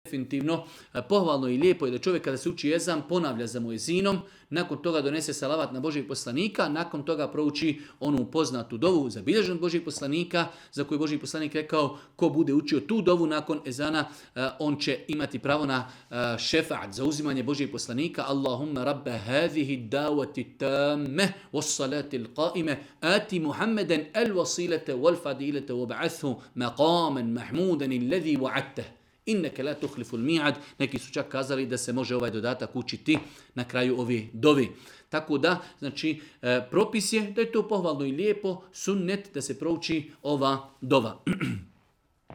definitivno pohvalno i lijepo je da čovjek kada se uči ezan ponavlja za muezinom, nakon toga donese salavat na Božijeg poslanika, nakon toga prouči onu poznatu dovu zabilježenu Božijeg poslanika, za koju Božji poslanik rekao ko bude učio tu dovu nakon ezana, on će imati pravo na šefaat, za uzimanje Božijeg poslanika. Allahumma rabba hadhihi davati tamme was salati al-qa'ime ati Muhammeden al-wasilata wal-fadilata wab'athu maqaman mahmudan alladhi wa'adtah. Inneke la tuhlifu l-mi'ad. Neki su čak kazali da se može ovaj dodatak učiti na kraju ove dovi. Tako da, znači, propis je da je to pohvalno i lijepo, sunnet da se prouči ova dova.